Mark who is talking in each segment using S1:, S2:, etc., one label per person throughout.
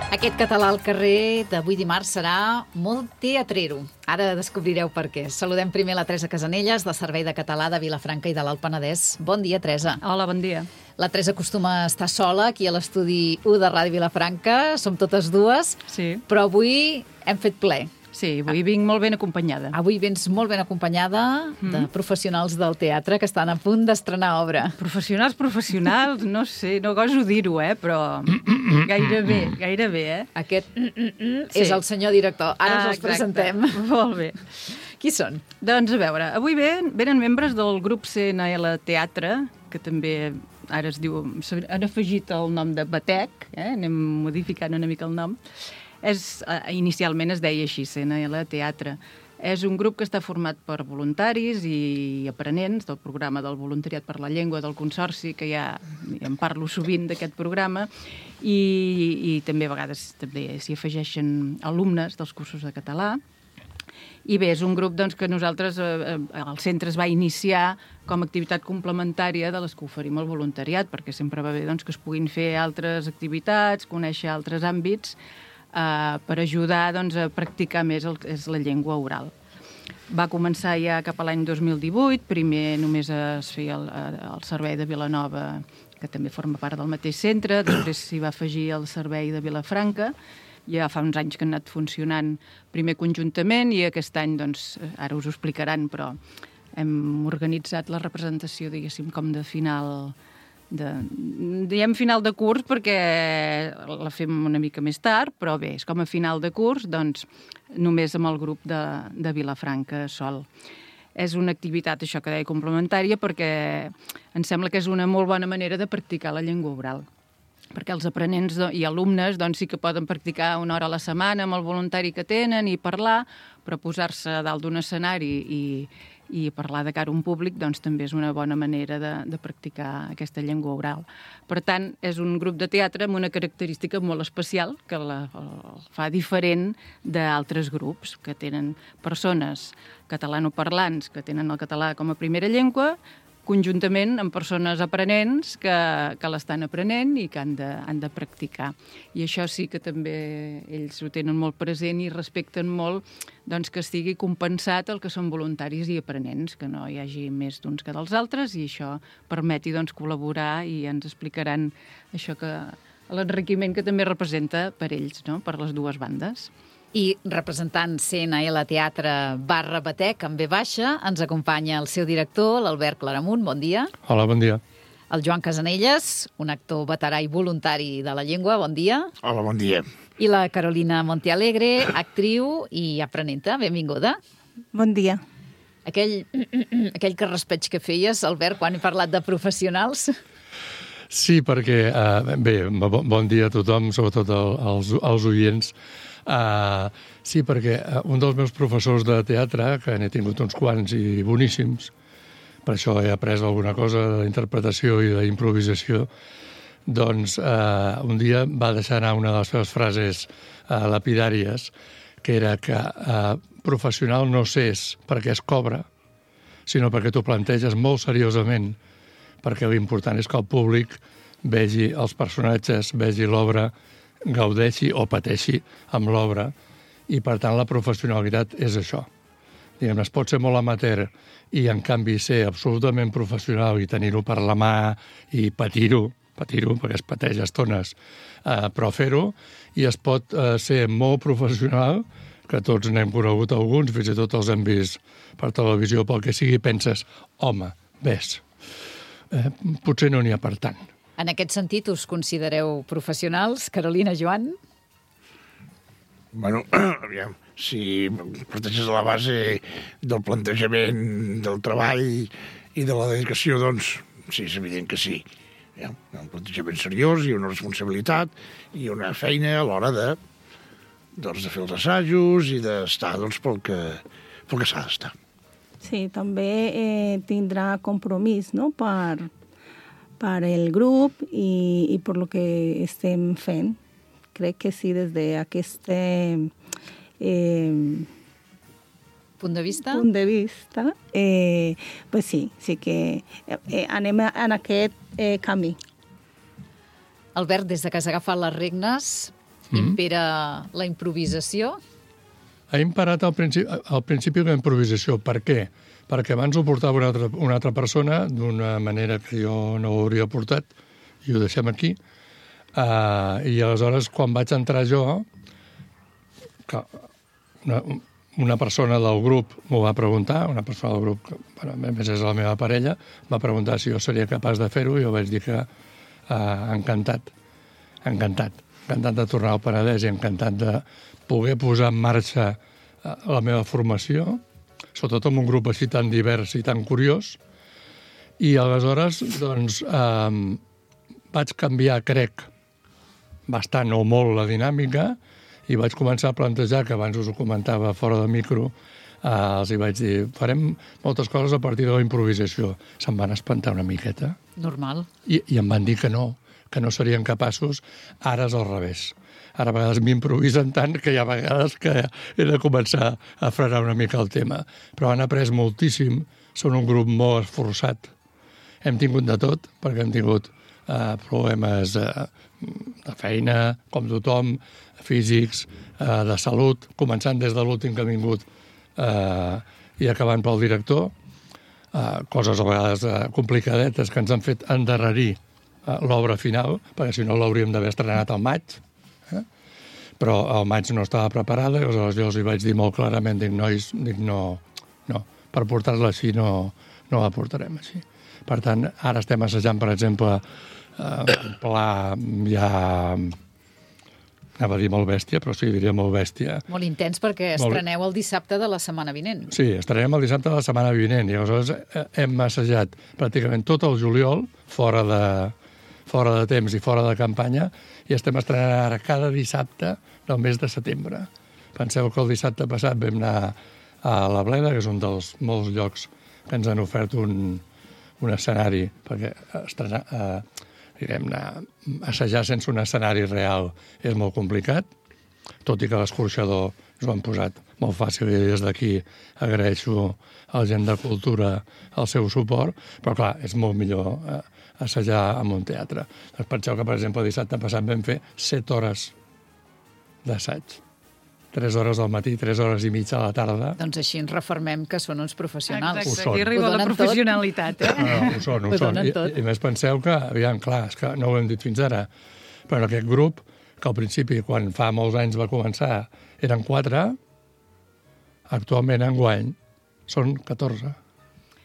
S1: Aquest català al carrer d'avui dimarts serà molt teatrero. Ara descobrireu per què. Saludem primer la Teresa Casanelles, del Servei de Català de Vilafranca i de l'Alt Penedès. Bon dia, Teresa.
S2: Hola, bon dia.
S1: La Teresa acostuma a estar sola aquí a l'estudi 1 de Ràdio Vilafranca. Som totes dues,
S2: Sí.
S1: però avui hem fet ple.
S2: Sí, avui vinc molt ben acompanyada.
S1: Avui vens molt ben acompanyada de professionals del teatre que estan a punt d'estrenar obra.
S2: Professionals, no sé, no goso dir-ho, però gairebé.
S1: Aquest
S2: Sí.
S1: és el senyor director. Ara us els
S2: Exacte.
S1: presentem.
S2: Molt bé.
S1: Qui són?
S2: Doncs a veure, avui venen membres del grup CNL Teatre, que també ara es diu, han afegit el nom de Batec, anem modificant una mica el nom. Inicialment es deia així, CNL Teatre. És un grup que està format per voluntaris i aprenents del programa del Voluntariat per la Llengua del Consorci, que ja en parlo sovint d'aquest programa, i també a vegades també s'hi afegeixen alumnes dels cursos de català. I bé, és un grup doncs, que nosaltres, el centre es va iniciar com a activitat complementària de les que oferim al voluntariat, perquè sempre va bé doncs, que es puguin fer altres activitats, conèixer altres àmbits, per ajudar doncs, a practicar més el que és la llengua oral. Va començar ja cap a l'any 2018, primer només es feia el servei de Vilanova, que també forma part del mateix centre, després s'hi va afegir el servei de Vilafranca, ja fa uns anys que han anat funcionant primer conjuntament i aquest any, doncs, ara us ho explicaran, però hem organitzat la representació, diguéssim, com de final diem final de curs perquè la fem una mica més tard, però bé, és com a final de curs, doncs només amb el grup de Vilafranca sol. És una activitat, això que deia, complementària, perquè em sembla que és una molt bona manera de practicar la llengua oral. Perquè els aprenents i alumnes doncs, sí que poden practicar una hora a la setmana amb el voluntari que tenen i parlar, però posar-se a dalt d'un escenari i parlar de cara a un públic doncs, també és una bona manera de practicar aquesta llengua oral. Per tant, és un grup de teatre amb una característica molt especial que el fa diferent d'altres grups que tenen persones catalanoparlants que tenen el català com a primera llengua, conjuntament amb persones aprenents que l'estan aprenent i que han de practicar. I això sí que també ells ho tenen molt present i respecten molt doncs, que estigui compensat el que són voluntaris i aprenents, que no hi hagi més d'uns que dels altres, i això permeti doncs, col·laborar i ens explicaran això que l'enriquiment que també representa per ells, no? Per les dues bandes.
S1: I representant CNL Teatre /Batec, amb B baixa, ens acompanya el seu director, l'Albert Claramunt. Bon dia.
S3: Hola, bon dia.
S1: El Joan Casanelles, un actor veterà i voluntari de la llengua. Bon dia.
S4: Hola, bon dia.
S1: I la Carolina Montealegre, actriu i aprenenta. Benvinguda.
S5: Bon dia.
S1: Aquell carraspeig que feies, Albert, quan he parlat de professionals.
S3: Sí, perquè, bé, bon dia a tothom, sobretot als oients. Sí, perquè un dels meus professors de teatre, que n'he tingut uns quants i boníssims, per això he après alguna cosa d'interpretació i d'improvisació, doncs un dia va deixar anar una de les seves frases lapidàries, que era que professional no s'és perquè es cobra, sinó perquè t'ho planteges molt seriosament, perquè l'important és que el públic vegi els personatges, vegi l'obra, gaudeixi o pateixi amb l'obra, i per tant la professionalitat és això. Diguem, es pot ser molt amateur i en canvi ser absolutament professional i tenir-ho per la mà i patir-ho, perquè es pateix a estones, però fer-ho, i es pot ser molt professional, que tots n'hem conegut alguns, fins i tot els hem vist per televisió, pel que sigui, penses, home, ves, potser no n'hi ha per tant.
S1: En aquest sentit, us considereu professionals? Carolina, Joan?
S4: Bueno, aviam, si parteixes de la base del plantejament del treball i de la dedicació, doncs sí, és evident que sí. Hi ha un plantejament seriós i una responsabilitat i una feina a l'hora de fer els assajos i d'estar pel que s'ha d'estar.
S5: Sí, també tindrà compromís, no?, per el grup i per lo que estem fent. Crec que sí, des d'aquest
S1: Punt de vista?
S5: Pues sí que anem en aquest camí.
S1: Albert, des de que has agafat les regnes, impera la improvisació?
S3: Ha imparat al principi la improvisació. Per què? Perquè abans ho portava una altra persona d'una manera que jo no ho hauria portat, i ho deixem aquí. I aleshores, quan vaig entrar jo, que una persona del grup m'ho va preguntar, una persona del grup, que a més és la meva parella, va preguntar si jo seria capaç de fer-ho, i jo vaig dir que encantat de tornar al Penedès i encantat de poder posar en marxa la meva formació, sobretot amb un grup així tan divers i tan curiós. I aleshores, doncs, vaig canviar, crec, bastant o molt la dinàmica, i vaig començar a plantejar, que abans us ho comentava fora de micro, els hi vaig dir, farem moltes coses a partir de la improvisació. Se'm van espantar una miqueta.
S1: Normal.
S3: I em van dir que no serien capaços. Ara és al revés. Ara a vegades m'improvisen tant que hi ha vegades que he de començar a frenar una mica el tema. Però han après moltíssim, són un grup molt esforçat. Hem tingut de tot, perquè hem tingut problemes de feina, com tothom, físics, de salut, començant des de l'últim que ha vingut i acabant pel director, coses a vegades complicadetes que ens han fet endarrerir l'obra final, perquè si no l'hauríem d'haver estrenat al maig, però al maig no estava preparada, i aleshores jo els hi vaig dir molt clarament, nois, no, per portar-la així no la portarem així. Per tant, ara estem assajant, per exemple, un pla ja... Anava a dir molt bèstia, però sí, diria molt bèstia.
S1: Molt intens, perquè estreneu el dissabte de la setmana vinent.
S3: Sí, estrenem el dissabte de la setmana vinent, i aleshores hem assajat pràcticament tot el juliol, fora de temps i fora de campanya, i estem estrenant ara cada dissabte del mes de setembre. Penseu que el dissabte passat vam anar a la Bleda, que és un dels molts llocs que ens han ofert un escenari, perquè assajar sense un escenari real és molt complicat, tot i que l'escorxador ens ho han posat molt fàcil, i des d'aquí agraeixo a la gent de cultura el seu suport, però clar, és molt millor assajar en un teatre. Doncs penseu que, per exemple, dissabte passat vam fer 7 hores d'assaig. 3 hores al matí, 3 hores i mitja a la tarda.
S1: Doncs així ens reformem que són uns professionals.
S2: Exacte, aquí arriba la professionalitat.
S3: Ho són. I més penseu que, aviam, clar, és que no ho hem dit fins ara, però en aquest grup, que al principi, quan fa molts anys va començar, eren 4, actualment, enguany, són 14.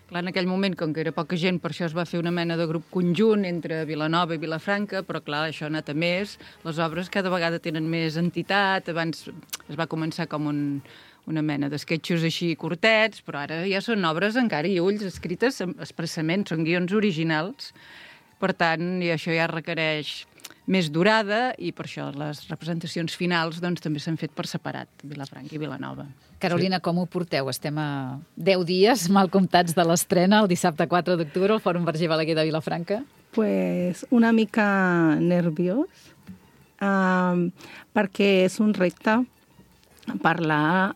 S2: Clar, en aquell moment, com que era poca gent, per això es va fer una mena de grup conjunt entre Vilanova i Vilafranca, però clar, això ha anat a més. Les obres cada vegada tenen més entitat. Abans es va començar com una mena d'esquetxos així curtets, però ara ja són obres encara i ulls escrites expressament, són guions originals. Per tant, i això ja requereix més durada, i per això les representacions finals doncs, també s'han fet per separat, Vilafranca i Vilanova.
S1: Carolina, com ho porteu? Estem a 10 dies mal comptats de l'estrena, el dissabte 4 d'octubre, al Fòrum Verger Balaguer de Vilafranca.
S5: Pues una mica nerviós, perquè és un repte parlar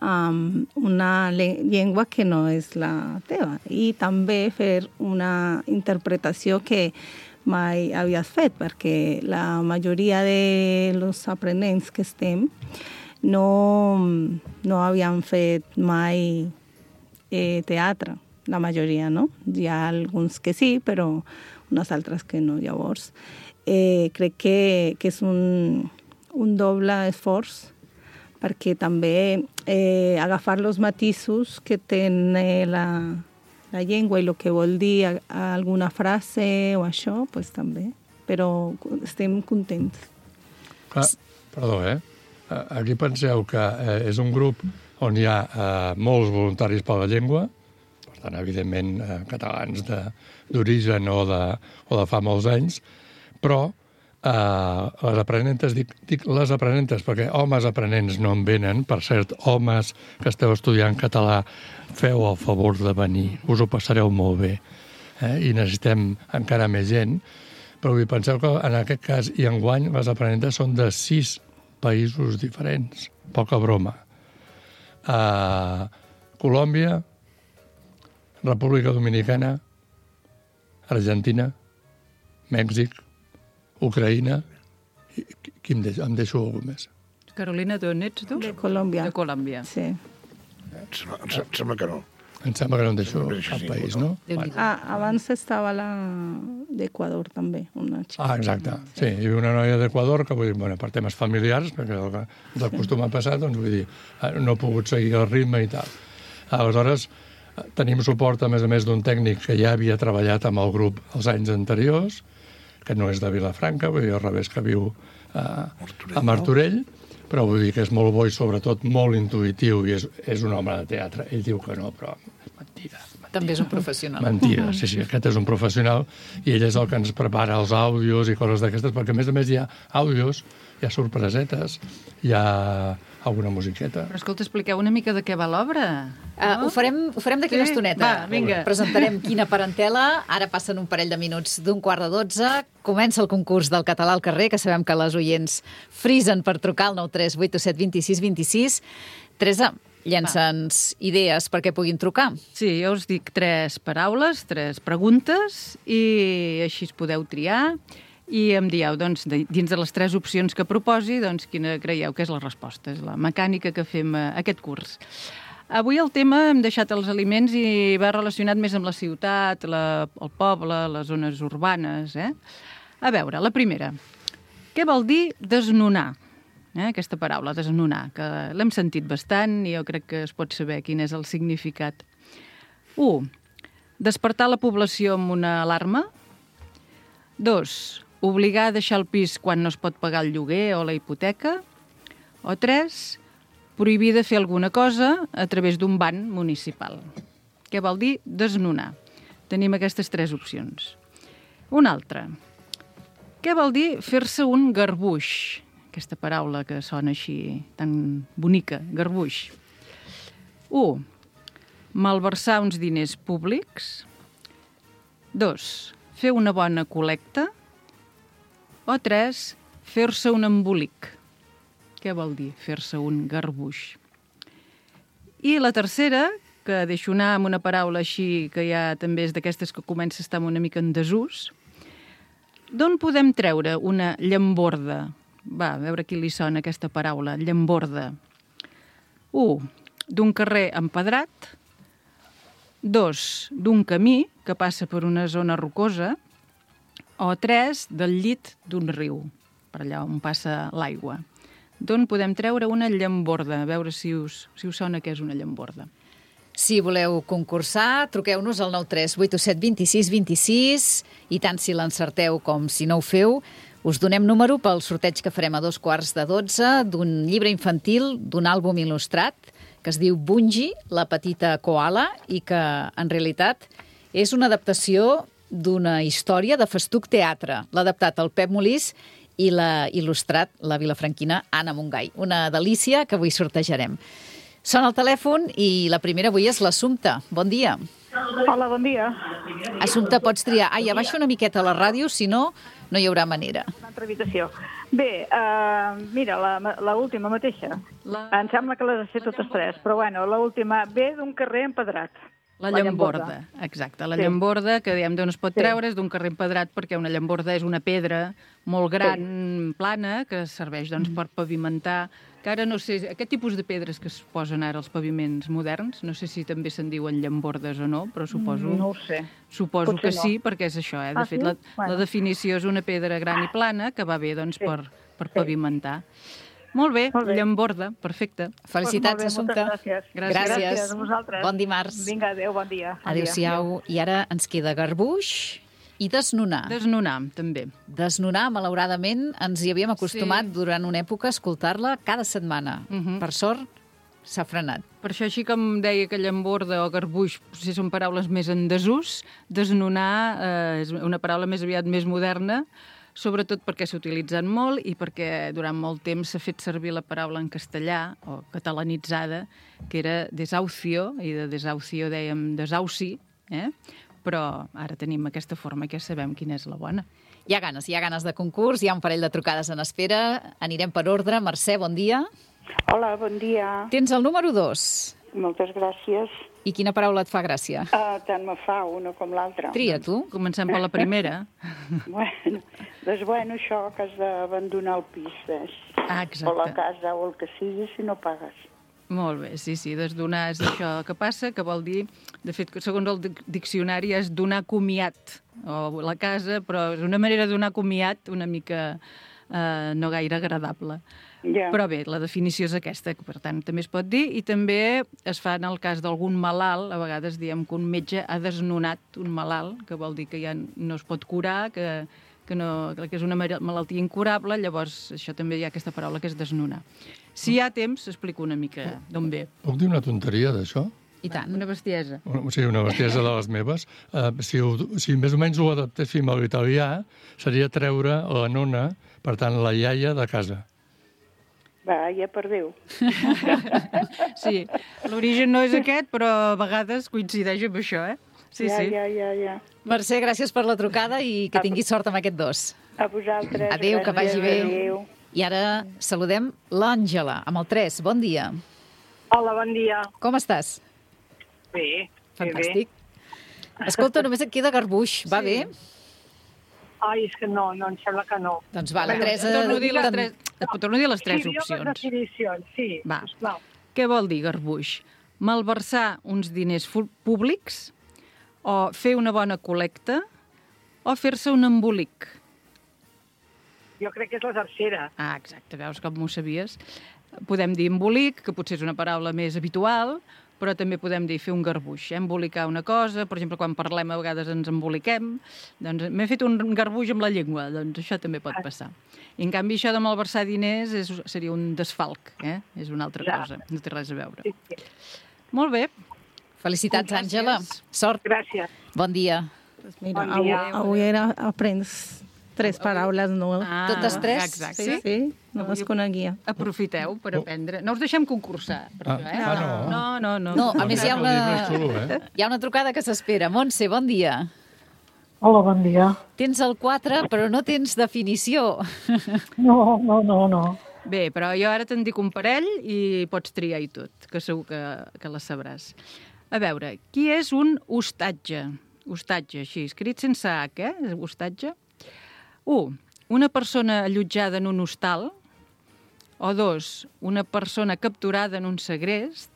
S5: una llengua que no és la teva, i també fer una interpretació que mai havies fet, perquè la majoria de los aprenents que estem no havien fet mai teatre, la majoria, no? Hi ha alguns que sí, però unes altres que no. Llavors, crec que és un doble esforç, perquè també agafar els matisos que té la llengua i el que vol dir alguna frase o això, pues també. Però estem contents.
S3: Perdó, aquí penseu que és un grup on hi ha molts voluntaris per la llengua, per tant, evidentment, catalans d'origen o de fa molts anys, però les aprenentes, dic les aprenentes, perquè homes aprenents no en venen. Per cert, homes que esteu estudiant català, feu el favor de venir, us ho passareu molt bé, i necessitem encara més gent, però penseu que en aquest cas i enguany les aprenentes són de 6 països diferents, poca broma. Colòmbia, República Dominicana, Argentina, Mèxic, Ucraïna, em deixo algú més?
S2: Carolina, d'on ets tu?
S5: De Colòmbia.
S2: De Colòmbia.
S5: Sí.
S4: Em sembla que no.
S3: Em sembla que no em deixo
S4: Sí,
S3: cap
S4: sí,
S3: país,
S4: no.
S3: no?
S1: Déu-n'hi-do.
S5: Abans estava la d'Equador també, una xica.
S3: Exacte. Sí, hi havia una noia d'Equador que, vull dir, bueno, per temes familiars, perquè del costum ha passat, doncs vull dir, no ha pogut seguir el ritme i tal. Aleshores, tenim suport, a més d'un tècnic que ja havia treballat amb el grup els anys anteriors, que no és de Vilafranca, vull dir, al revés, que viu a Martorell, però vull dir que és molt bo i sobretot molt intuïtiu i és un home de teatre. Ell diu que no, però mentida.
S1: També és un professional.
S3: Mentida, sí, aquest és un professional i ell és el que ens prepara els àudios i coses d'aquestes, perquè a més hi ha àudios, hi ha sorpresetes, hi ha alguna musiqueta.
S2: Però escolta, expliqueu una mica de què va l'obra.
S1: Ho farem d'aquí una estoneta.
S2: Va, vinga.
S1: Presentarem quina parentela. Ara passen un parell de minuts d'11:45. Comença el concurs del català al carrer, que sabem que les oients frisen per trucar al 93 827 26 26. Teresa, llença'ns idees perquè puguin trucar.
S2: Sí, jo us dic 3 paraules, 3 preguntes, i així es podeu triar. I em dieu, doncs, dins de les 3 opcions que proposi, doncs, quina creieu que és la resposta. És la mecànica que fem aquest curs. Avui el tema hem deixat els aliments i va relacionat més amb la ciutat, el poble, les zones urbanes. A veure, la primera. Què vol dir desnonar? Aquesta paraula, desnonar, que l'hem sentit bastant i jo crec que es pot saber quin és el significat. 1. Despertar la població amb una alarma. 2. Obligar a deixar el pis quan no es pot pagar el lloguer o la hipoteca. O 3. Prohibir de fer alguna cosa a través d'un ban municipal. Què vol dir desnonar? Tenim aquestes 3 opcions. Una altra. Què vol dir fer-se un garbuix? Aquesta paraula que sona així tan bonica, garbuix. 1. Malversar uns diners públics. 2. Fer una bona col·lecta. O 3. Fer-se un embolic. Què vol dir fer-se un garbuix? I la tercera, que deixo anar amb una paraula així, que ja també és d'aquestes que comença a estar una mica en desús. D'on podem treure una llamborda? Va, a veure qui li sona aquesta paraula, llamborda. 1. D'un carrer empedrat. 2. D'un camí que passa per una zona rocosa. O 3. Del llit d'un riu, per allà on passa l'aigua. D'on podem treure una llamborda? A veure si us sona què és una llamborda.
S1: Si voleu concursar, truqueu-nos al 93 827 26 26 i tant si l'encerteu com si no ho feu, us donem número pel sorteig que farem a 11:45 d'un llibre infantil, d'un àlbum il·lustrat, que es diu Bungie, la petita koala, i que en realitat és una adaptació d'una història de Festuc Teatre. L'ha adaptat el Pep Molís i l'ha il·lustrat la vilafranquina Anna Montgai. Una delícia que avui sortejarem. Sona el telèfon i la primera avui és l'Assumpta. Bon dia.
S6: Hola, bon dia.
S1: Assumpta, pots triar. Ai, abaixa una miqueta la ràdio, si no, no hi haurà manera.
S6: Una altra habitació. Bé, mira, l'última mateixa. Em sembla que les he fet totes 3, però bueno, l'última ve d'un carrer empedrat.
S2: La llamborda, exacte. La llamborda, que diem d'on es pot treure, és d'un carrer empedrat, perquè una llamborda és una pedra molt gran, plana, que serveix doncs, per pavimentar, que ara no sé, aquest tipus de pedres que es posen ara als paviments moderns, no sé si també se'n diuen llambordes o no, però suposo...
S6: No ho sé.
S2: Suposo
S6: Potser
S2: que sí, perquè és això, De fet, la definició és una pedra gran i plana que va bé, doncs, per pavimentar. Molt bé, llamborda, perfecte.
S1: Felicitats, Assumpta.
S6: Gràcies.
S1: Gràcies.
S6: A vosaltres.
S1: Bon dimarts.
S6: Vinga, adéu, bon dia.
S1: Adéu-siau. I ara ens queda garbuix i desnonar.
S2: Desnonar, també.
S1: Desnonar, malauradament, ens hi havíem acostumat durant una època a escoltar-la cada setmana. Per sort, s'ha frenat.
S2: Per això, així com deia que llamborda o garbuix potser són paraules més en desús, desnonar és una paraula més aviat més moderna, sobretot perquè s'ha utilitzat molt i perquè durant molt temps s'ha fet servir la paraula en castellà, o catalanitzada, que era desahucio, i de desahucio dèiem desauci, però ara tenim aquesta forma i ja sabem quina és la bona.
S1: Hi ha ganes de concurs, hi ha un parell de trucades en espera. Anirem per ordre. Mercè, bon dia.
S7: Hola, bon dia.
S1: Tens el número 2.
S7: Moltes gràcies.
S1: I quina paraula et fa gràcia?
S7: Tant me fa una com l'altra.
S1: Tria, tu.
S2: Comencem per la primera.
S7: Bueno, això que has d'abandonar el pis, ves.
S2: exacte.
S7: O la casa o el que sigui, si no pagues.
S2: Molt bé, sí, desdonar és això que passa, que vol dir, de fet, segons el diccionari, és donar comiat, o la casa, però és una manera de donar comiat una mica no gaire agradable.
S7: Ja.
S2: Però bé, la definició és aquesta, que per tant també es pot dir, i també es fa en el cas d'algun malalt, a vegades diem que un metge ha desnonat un malalt, que vol dir que ja no es pot curar, que és una malaltia incurable, llavors això també hi ha aquesta paraula que és desnonar. Si hi ha temps, explico una mica d'on ve.
S3: Puc dir una tonteria d'això?
S2: I tant. Una bestiesa.
S3: Sí, una bestiesa de les meves. Si més o menys ho adaptéssim a l'italià, seria treure la nona, per tant, la iaia de casa.
S7: Va, ja per Déu.
S2: Sí, l'origen no és aquest, però a vegades coincideix amb això, eh? Sí, sí.
S7: Ja.
S1: Mercè, gràcies per la trucada i que tinguis sort amb aquest 2.
S7: A vosaltres.
S1: Adéu, que vagi bé.
S7: Adéu.
S1: I ara saludem l'Àngela, amb el 3. Bon dia.
S8: Hola, bon dia.
S1: Com estàs?
S8: Bé.
S1: Fantàstic. Escolta, només et queda garbuix. Va bé?
S8: Ai, és que no, em sembla que no.
S1: Doncs va, la Teresa...
S2: Et torno a dir les tres
S8: Sí,
S2: opcions.
S8: les definicions, sí.
S2: Va.
S8: Sisplau.
S2: Què vol dir garbuix? Malversar uns diners públics, o fer una bona col·lecta, o fer-se un embolic.
S8: Jo crec que és la tercera.
S2: Ah, exacte, veus com m'ho sabies. Podem dir embolic, que potser és una paraula més habitual, però també podem dir fer un garbuix, embolicar una cosa. Per exemple, quan parlem a vegades ens emboliquem. Doncs m'he fet un garbuix amb la llengua, doncs això també pot passar. I en canvi això de malversar diners seria un desfalc, és una altra cosa, no té res a veure.
S8: Sí.
S2: Molt bé.
S1: Felicitats, Àngela. Sort.
S8: Gràcies.
S1: Bon dia.
S5: Mira,
S8: Bon dia.
S5: avui aprens 3 paraules noves.
S1: Totes 3?
S2: Exacte.
S5: Sí, no les coneixia.
S2: Aprofiteu per aprendre. No us deixem concursar, per això, No.
S1: No, a més hi ha una trucada que s'espera. Montse, bon dia.
S9: Hola, bon dia.
S1: Tens el 4, però no tens definició.
S9: No.
S2: Bé, però jo ara te'n dic un parell i pots triar i tot, que segur que la sabràs. A veure, qui és un hostatge? Hostatge, així, escrit sense H, hostatge. 1. Una persona allotjada en un hostal. O 2. Una persona capturada en un segrest.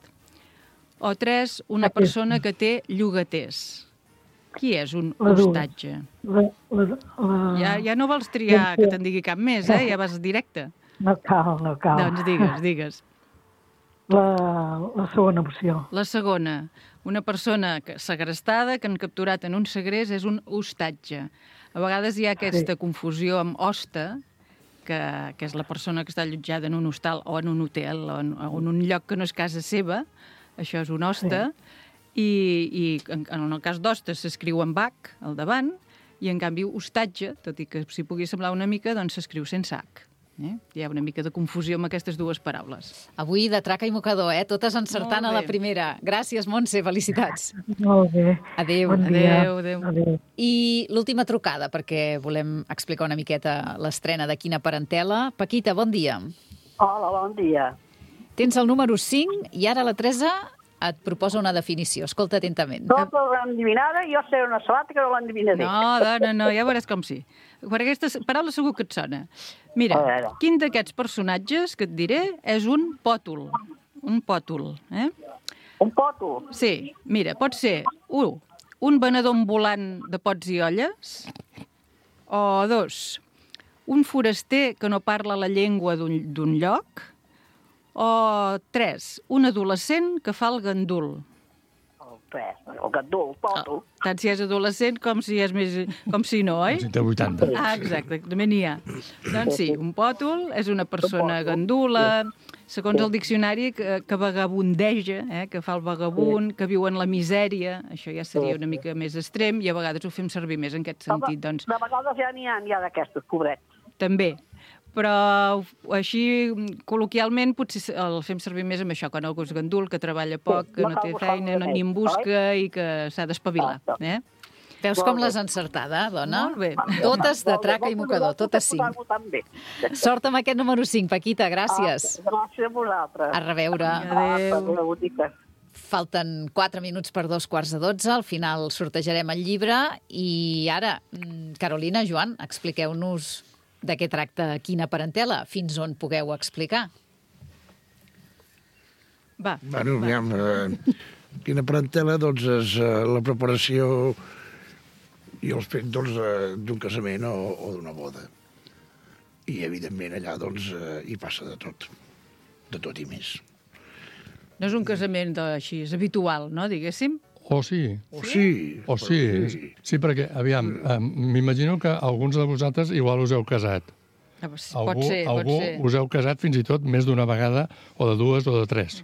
S2: O 3. Una persona que té llogaters. Qui és un hostatge? Ja no vols triar que te'n digui cap més, ja vas directe.
S9: No cal.
S2: Doncs digues.
S9: La segona opció.
S2: La segona. Una persona segrestada que han capturat en un segrest és un hostatge. A vegades hi ha aquesta confusió amb hoste, que és la persona que està allotjada en un hostal o en un hotel o en un lloc que no és casa seva. Això és un hoste. I en el cas d'hoste s'escriu amb H al davant i en canvi hostatge, tot i que s'hi pugui semblar una mica, doncs s'escriu sense H. Hi ha una mica de confusió amb aquestes dues paraules.
S1: Avui de traca i mocador, totes encertant a la primera. Gràcies, Montse, felicitats.
S9: Molt bé.
S1: Adéu.
S9: Bon dia.
S2: Adéu.
S1: I l'última trucada, perquè volem explicar una miqueta l'estrena de Quina parentela. Paquita, bon dia.
S10: Hola, bon dia.
S1: Tens el número 5 i ara la Teresa et proposa una definició. Escolta atentament.
S10: Tota l'endivinada, jo sé una sabata que no l'endivinaré.
S2: No, dona, no, ja veuràs com sí. Per aquesta paraula segur que et sona. Mira, quin d'aquests personatges que et diré és un pòtol. Un pòtol,
S10: Un pòtol?
S2: Sí, mira, pot ser, un venedor ambulant de pots i olles, o 2, un foraster que no parla la llengua d'un lloc, o 3, un adolescent que fa el gandul.
S10: El gandul, el pòtol.
S2: Tant si és adolescent com si no, oi?
S3: Com si té 80.
S2: Ah, exacte, també n'hi ha. Doncs sí, un pòtol és una persona gandula, segons el diccionari, que vagabundeja, que fa el vagabund, que viu en la misèria, això ja seria una mica més extrem, i a vegades ho fem servir més en aquest sentit. Doncs,
S10: de vegades ja n'hi ha d'aquestos, pobrets.
S2: també. Però així, col·loquialment, potser el fem servir més amb això, quan algú és gandul, que treballa poc, que no té feina, ni en busca i que s'ha d'espavilar.
S1: Veus com l'has encertada, dona?
S2: Molt bé.
S1: Totes de traca i mocador, totes 5. Sort amb aquest número 5, Paquita, gràcies.
S10: Gràcies a vosaltres.
S1: A reveure.
S2: Adéu.
S1: Falten 4 minuts per 2:15. Al final sortejarem el llibre. I ara, Carolina, Joan, expliqueu-nos de què tracta Quina Parentela, fins on pugueu explicar.
S4: Bueno, aviam, Quina Parentela, doncs, és la preparació i els fets d'un casament o d'una boda. I, evidentment, allà, doncs, hi passa de tot i més.
S2: No és un casament així, és habitual, no, diguéssim?
S3: Sí.
S4: Sí,
S3: perquè, aviam, m'imagino que alguns de vosaltres igual us heu casat.
S2: Pot ser.
S3: Us heu casat fins i tot més d'una vegada, o de dues o de tres,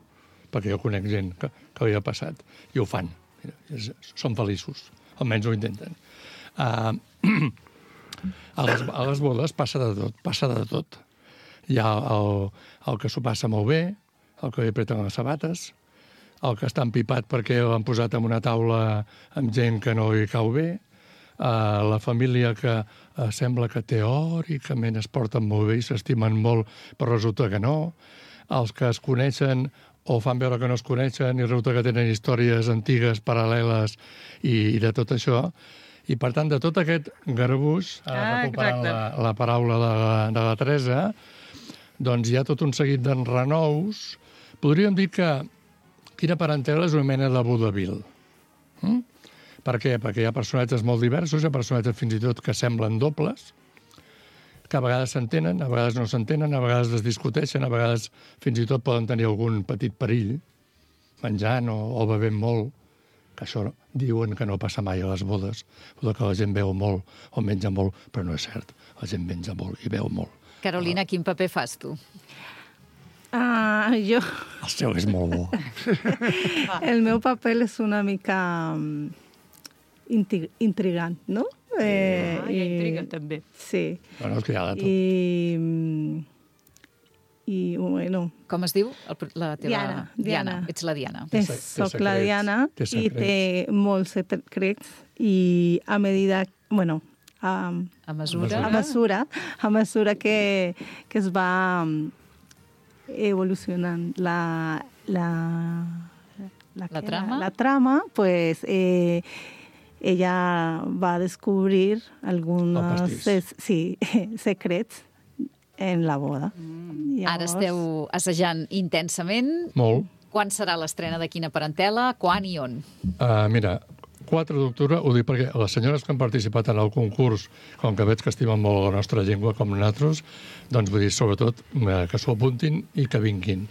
S3: perquè jo conec gent que ho ha passat, i ho fan. Són feliços, almenys ho intenten. A les bodes passa de tot. Hi ha el que s'ho passa molt bé, el que li apreten les sabates, el que està empipat perquè l'han posat en una taula amb gent que no li cau bé, la família que sembla que teòricament es porten molt bé i s'estimen molt, però resulta que no, els que es coneixen o fan veure que no es coneixen i resulta que tenen històries antigues, paral·leles i de tot això. I, per tant, de tot aquest garbuix, recuperant la paraula de la Teresa, doncs hi ha tot un seguit d'enrenous. Podríem dir que Quina Parentela és una mena de vodevil. Per què? Perquè hi ha personatges molt diversos, hi ha personatges fins i tot que semblen dobles, que a vegades s'entenen, a vegades no s'entenen, a vegades es discuteixen, a vegades fins i tot poden tenir algun petit perill, menjant o bevent molt, que això diuen que no passa mai a les bodes, que la gent beu molt o menja molt, però no és cert, la gent menja molt i beu molt.
S1: Carolina, quin paper fas tu?
S5: Jo...
S3: El seu és molt bo.
S5: El meu paper és una mica intrigant, no?
S2: Hi ha intriga, també.
S5: Sí.
S3: Bueno, és que hi ha de tot.
S5: I bueno...
S1: Com es diu? La teva...
S5: Diana.
S1: Ets la Diana.
S5: Soc la Diana i té molts secrets i a medida... Bueno, a mesura que es va evolucionant la trama, pues ella va a descubrir algunos secrets en la boda.
S1: Ara esteu assajant intensament.
S3: Molt.
S1: Quan serà l'estrena de Quina Parentela? Quan i on?
S3: Mira, 4 d'octubre, ho dic perquè les senyores que han participat en el concurs, com que veig que estimen molt la nostra llengua com nosaltres, doncs vull dir, sobretot, que s'ho apuntin i que vinguin.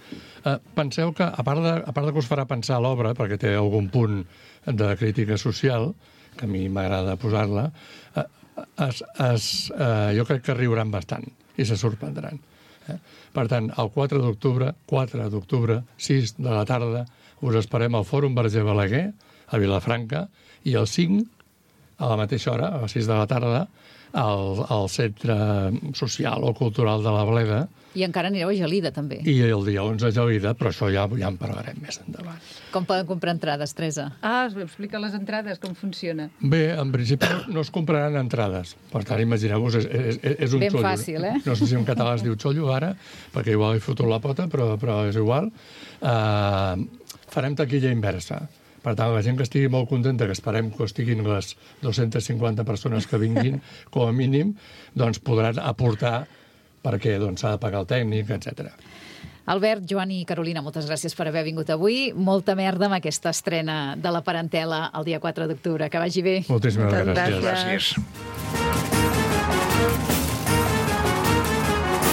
S3: Penseu que, a part de que us farà pensar l'obra, perquè té algun punt de crítica social, que a mi m'agrada posar-la, jo crec que riuran bastant i se sorprendran. Per tant, el 4 d'octubre, 6 de la tarda, us esperem al Fòrum Verger Balaguer, a Vilafranca, i el 5, a la mateixa hora, a les 6 de la tarda, al Centre Social o Cultural de la Bleda.
S1: I encara anireu a Gelida, també.
S3: I el dia 11 a Gelida, però això ja en parlarem més endavant.
S1: Com poden comprar entrades, Teresa?
S2: Explica les entrades, com funciona.
S3: Bé, en principi no es compraran entrades. Per tant, imagineu-vos, és un
S1: ben
S3: xollo.
S1: Ben fàcil, eh?
S3: No sé si en català es diu xollo ara, perquè igual he fotut la pota, però és igual. Farem taquilla inversa. Per tant, la gent que estigui molt contenta, que esperem que estiguin les 250 persones que vinguin, com a mínim, doncs podran aportar perquè s'ha de pagar el tècnic, etc.
S1: Albert, Joan i Carolina, moltes gràcies per haver vingut avui. Molta merda amb aquesta estrena de La Parentela el dia 4 d'octubre. Que vagi bé.
S3: Moltíssimes gràcies.
S4: Gràcies.